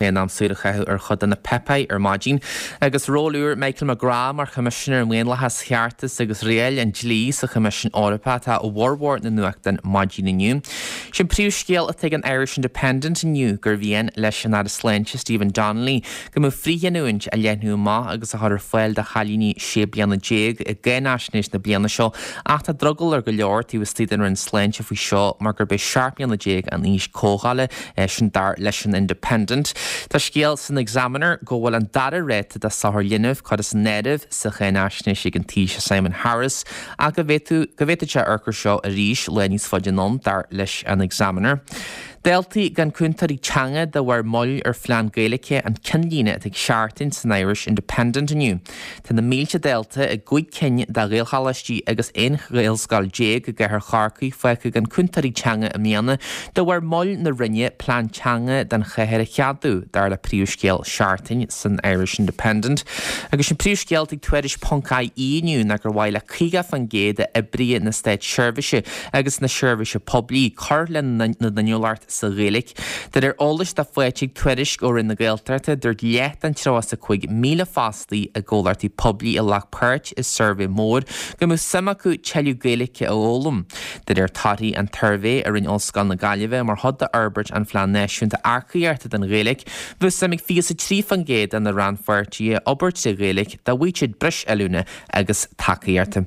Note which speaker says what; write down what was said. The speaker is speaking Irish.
Speaker 1: In am súil a chaitheamh ar chuid de na páipéir ar maidin agus ról úr Michael McGrath mar Choimisinéir um Dhaonlathas, Cheartas agus Riail an Dlí sa Choimisiún Eorpach atá i bhformhór na nuachtán maidin inniu. Sin príomhscéal atá ag an Irish Independent inniu gur mhian leis an Aire Sláinte Stephen Donnelly go mbeadh frithghiniúint á leathnú amach agus á chur ar fáil do chailíní 16 bliana i gcáinaisnéis na bliana seo ach tá drogall ar go leor taobh istigh den Roinn Sláinte faoi seo mar gurb é 17 mbliana an aois comhdhála Sin dar leis an Independent. Tá scéal san Examiner go bhfuil an dara ráta de sochar linbh curtha san áireamh sa cháinaisnéis ag an Taoiseach Simon Harris ach go bhféadfadh go bhféadfadh sé amharc air seo arís lá níos faide anonn, dar leis an Examiner. Daltaí gan cúntóirí teanga de bharr moill ar phlean Gaeilge an ceannlíne atá ag Seachtain san Irish Independent inniu. Tá na mílte dalta i gcúig cinn de Ghaelcholáistí agus 11 Ghaelscoil i gcathair Chorcaí fágtha gan cúntóirí teanga i mbliana de bharr moill na Roinne plean teanga don chathair a cheadú, dar le príomhscéal Seachtain san Irish Independent. Agus sin príomhscéal ag Tuairisc ponc IE inniu ná gur mhaith le 50% d'oibrithe na státseirbhíse agus na seirbhíse poiblí cur lena n-inniúlacht sa Ghaeilge. De réir eolais atá faighte ag Tuairisc ó Roinn na Gaeltachta, dúirt leath den 35,000 fostaí i gcomhlachtaí poiblí a ghlac páirt i suirbhé mór go mbeadh suim acu tuilleadh Gaeilge a fhoghlaim. De réir torthaí an tsuirbhé a rinne Ollscoil na Gaillimhe mar chuid d'fhorbairt an Phlean Náisiúnta Earcaíochta don Ghaeilge, bheadh suim ag 23% de na rannpháirtithe obair trí Ghaeilge dá bhfaigheadh siad breis oiliúna agus tacaíochta.